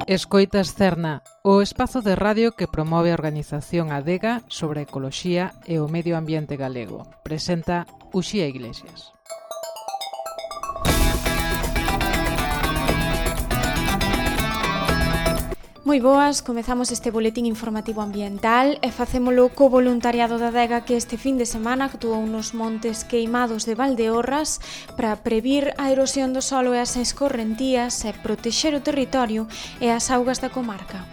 Escoitas Cerna, o espazo de radio que promove a organización Adega sobre a ecoloxía e o medio ambiente galego. Presenta Uxía Iglesias. Moi boas, comezamos este boletín informativo ambiental e facémolo co voluntariado da Adega que este fin de semana actuou nos montes queimados de Valdeorras para previr a erosión do solo e as escorrentías e protexer o territorio e as augas da comarca.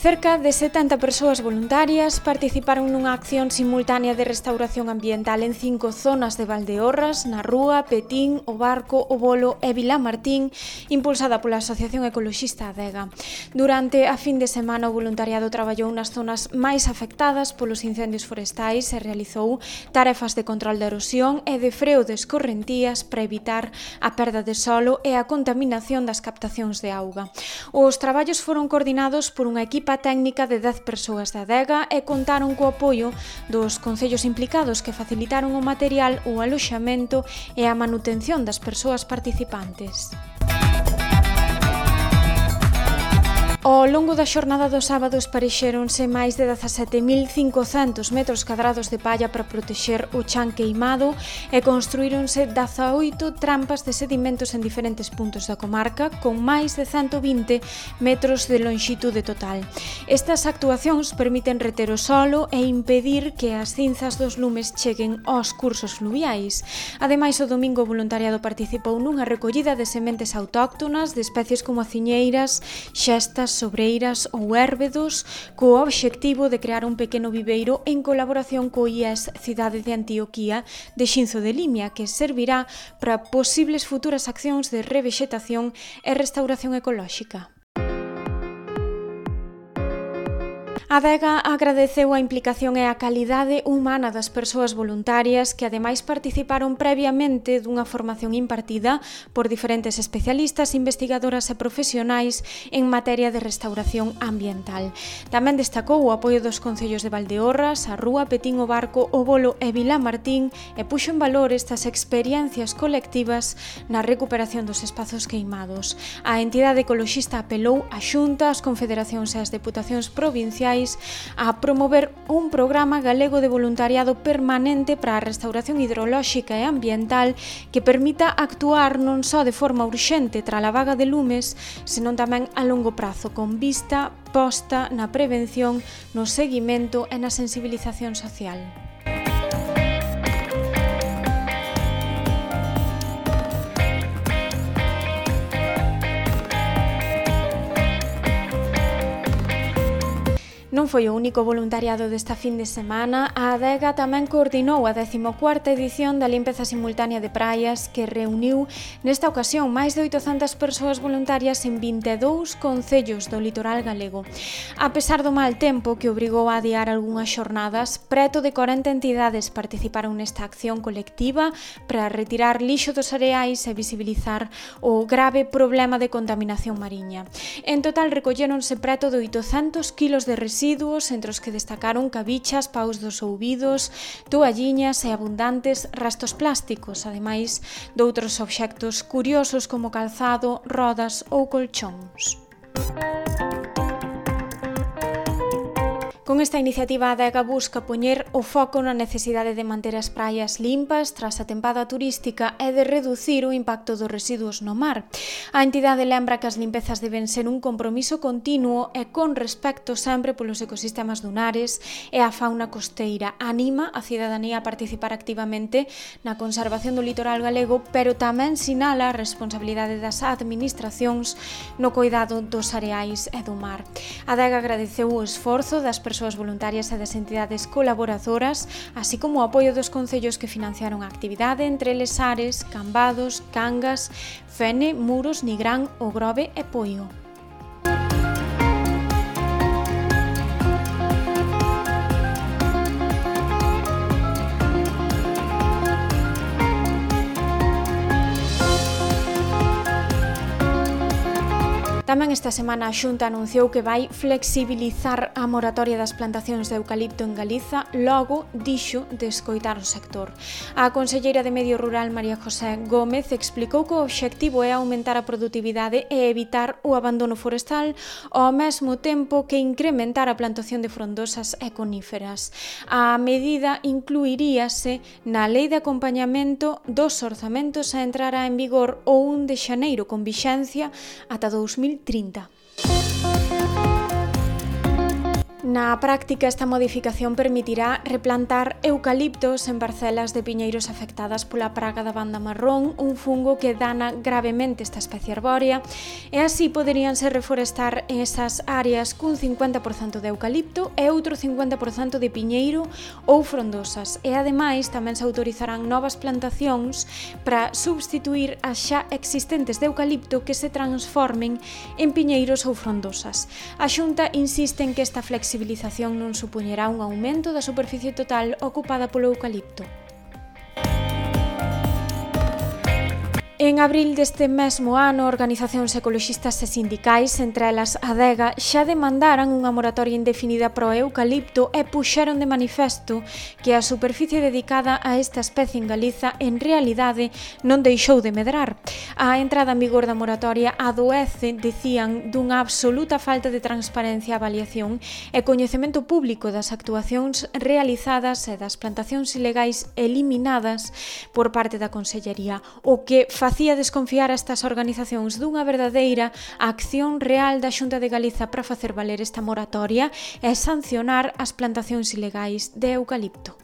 Cerca de 70 persoas voluntarias participaron nunha acción simultánea de restauración ambiental en 5 zonas de Valdeorras, na Rúa, Petín, O Barco, O Bolo e Vilamartín, impulsada pola Asociación Ecoloxista Adega. Durante a fin de semana o voluntariado traballou nas zonas máis afectadas polos incendios forestais e realizou tarefas de control da erosión e de freo de escorrentías para evitar a perda de solo e a contaminación das captacións de auga. Os traballos foron coordinados por unha equipa técnica de 10 persoas da Adega e contaron co apoio dos concellos implicados que facilitaron o material, o aloxamento e a manutención das persoas participantes. Ao longo da xornada do sábado esparexéronse máis de 17.500 metros cadrados de palla para protexer o chan queimado e construíronse 18 trampas de sedimentos en diferentes puntos da comarca con máis de 120 metros de lonxitude total. Estas actuacións permiten reter o solo e impedir que as cinzas dos lumes cheguen aos cursos fluviais. Ademais, o domingo o voluntariado participou nunha recollida de sementes autóctonas de especies como aciñeiras, xestas, sobreiras ou érbedos, co obxectivo de crear un pequeno viveiro en colaboración co IES Cidade de Antioquía de Xinzo de Limia, que servirá para posibles futuras accións de revexetación e restauración ecolóxica. A Adega agradeceu a implicación e a calidade humana das persoas voluntarias que ademais participaron previamente dunha formación impartida por diferentes especialistas, investigadoras e profesionais en materia de restauración ambiental. Tamén destacou o apoio dos concellos de Valdeorras, a Rúa, Petín, O Barco, O Bolo e Vilamartín e puxo en valor estas experiencias colectivas na recuperación dos espazos queimados. A entidade ecoloxista apelou á Xunta, ás confederacións e ás deputacións provinciais a promover un programa galego de voluntariado permanente para a restauración hidrolóxica e ambiental que permita actuar non só de forma urxente tras a vaga de lumes, senón tamén a longo prazo, con vista posta na prevención, no seguimento e na sensibilización social. Non foi o único voluntariado desta fin de semana. A Adega tamén coordinou a 14ª edición da limpeza simultánea de praias que reuniu nesta ocasión máis de 800 persoas voluntarias en 22 concellos do litoral galego. A pesar do mal tempo que obrigou a adiar algunhas xornadas, preto de 40 entidades participaron nesta acción colectiva para retirar lixo dos areais e visibilizar o grave problema de contaminación mariña. En total recolléronse preto de 800 kilos de residuos, entre os que destacaron cabichas, paus dos ouvidos, toalliñas e abundantes restos plásticos, ademais de outros obxectos curiosos como calzado, rodas ou colchóns. Con esta iniciativa a Adega busca poñer o foco na necesidade de manter as praias limpas tras a tempada turística e de reducir o impacto dos residuos no mar. A entidade lembra que as limpezas deben ser un compromiso continuo e con respecto sempre polos ecosistemas dunares e a fauna costeira. Anima a cidadanía a participar activamente na conservación do litoral galego, pero tamén sinala a responsabilidade das administracións no coidado dos areais e do mar. A Adega agradeceu o esforzo das persoas voluntarias e das entidades colaboradoras, así como o apoio dos concellos que financiaron a actividade, entre eles Ares, Cambados, Cangas, Fene, Muros, Nigrán, O Grove e Poio. Tamén esta semana a Xunta anunciou que vai flexibilizar a moratoria das plantacións de eucalipto en Galiza, logo dixo de escoitar o sector. A conselleira de Medio Rural, María José Gómez, explicou que o obxectivo é aumentar a produtividade e evitar o abandono forestal ao mesmo tempo que incrementar a plantación de frondosas e coníferas. A medida incluiríase na Lei de Acompañamento dos Orzamentos a entrará en vigor o 1 de xaneiro con vixencia ata 2030. Na práctica, esta modificación permitirá replantar eucaliptos en parcelas de piñeiros afectadas pola praga da banda marrón, un fungo que dana gravemente esta especie arbórea, e así poderíanse reforestar esas áreas cun 50% de eucalipto e outro 50% de piñeiro ou frondosas. E ademais tamén se autorizarán novas plantacións para substituir as xa existentes de eucalipto que se transformen en piñeiros ou frondosas. A Xunta insiste en que esta flexibilización non supoñerá un aumento da superficie total ocupada polo eucalipto. En abril deste mesmo ano, organizacións ecoloxistas e sindicais, entre elas Adega, xa demandaran unha moratoria indefinida pro eucalipto e puxeron de manifesto que a superficie dedicada a esta especie en Galiza en realidade non deixou de medrar. A entrada en vigor da moratoria adoece, decían, dunha absoluta falta de transparencia, avaliación e coñecemento público das actuacións realizadas e das plantacións ilegais eliminadas por parte da Consellería, o que facía desconfiar a estas organizacións dunha verdadeira acción real da Xunta de Galiza para facer valer esta moratoria e sancionar as plantacións ilegais de eucalipto.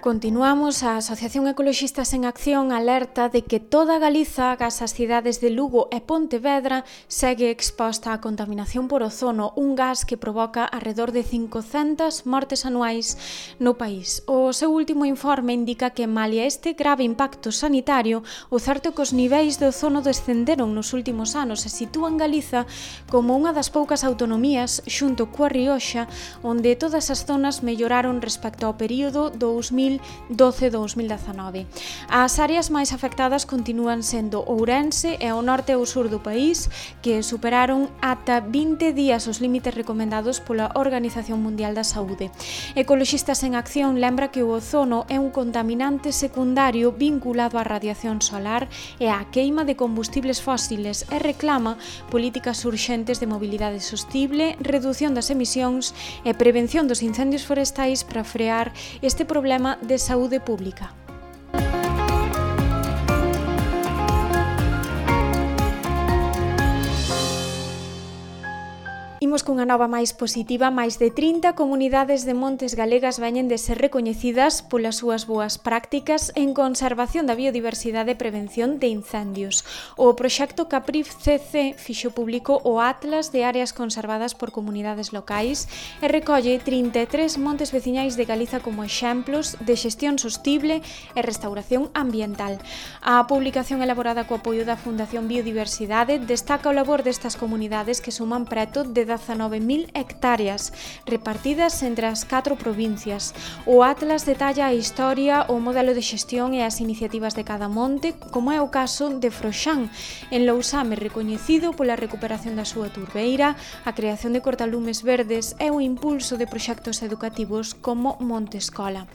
Continuamos, a Asociación Ecoloxistas en Acción alerta de que toda Galiza, agás as cidades de Lugo e Pontevedra, segue exposta á contaminación por ozono, un gas que provoca alrededor de 500 mortes anuais no país. O seu último informe indica que, malia este grave impacto sanitario, o certo é que os niveis de ozono descenderon nos últimos anos e sitúan Galiza como unha das poucas autonomías, xunto coa Rioxa, onde todas as zonas melloraron respecto ao período 2012-2019. As áreas máis afectadas continúan sendo Ourense e o norte e o sur do país, que superaron ata 20 días os límites recomendados pola Organización Mundial da Saúde. Ecoloxistas en Acción lembra que o ozono é un contaminante secundario vinculado á radiación solar e á queima de combustibles fósiles e reclama políticas urxentes de mobilidade sostible, redución das emisións e prevención dos incendios forestais para frear este problema de saúde pública. Imos cunha nova máis positiva. Máis de 30 comunidades de montes galegas veñen de ser recoñecidas polas súas boas prácticas en conservación da biodiversidade e prevención de incendios. O proxecto CAPRIF-CC fixo público o Atlas de áreas conservadas por comunidades locais e recolle 33 montes veciñais de Galiza como exemplos de xestión sostible e restauración ambiental. A publicación elaborada co apoio da Fundación Biodiversidade destaca o labor destas comunidades que suman preto de 19.000 hectáreas repartidas entre as 4 provincias. O Atlas detalla a historia, o modelo de xestión e as iniciativas de cada monte, como é o caso de Froxán, en Lousame, recoñecido pola recuperación da súa turbeira, a creación de cortalumes verdes e o impulso de proxectos educativos como Monte Escola.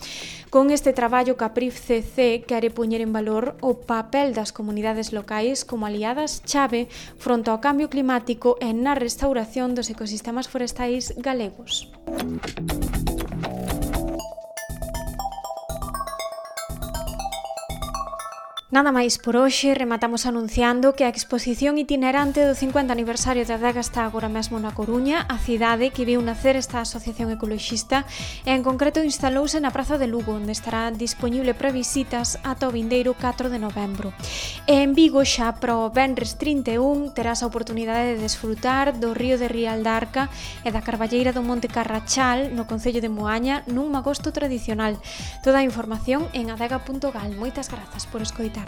Con este traballo, CAPRIF-CC quere poñer en valor o papel das comunidades locais como aliadas chave fronte ao cambio climático e na restauración dos ecosistemas forestais galegos. Nada máis por hoxe, rematamos anunciando que a exposición itinerante do 50 aniversario da Adega está agora mesmo na Coruña, a cidade que viu nacer esta asociación ecoloxista e en concreto instalouse na Praza de Lugo, onde estará disponible para visitas ata o vindeiro 4 de novembro. E en Vigo xa pro venres 31 terás a oportunidade de desfrutar do río de Rial da Arca e da carballeira do Monte Carrachal no concello de Moaña nun magosto tradicional. Toda a información en adega.gal. Moitas grazas por escoitar.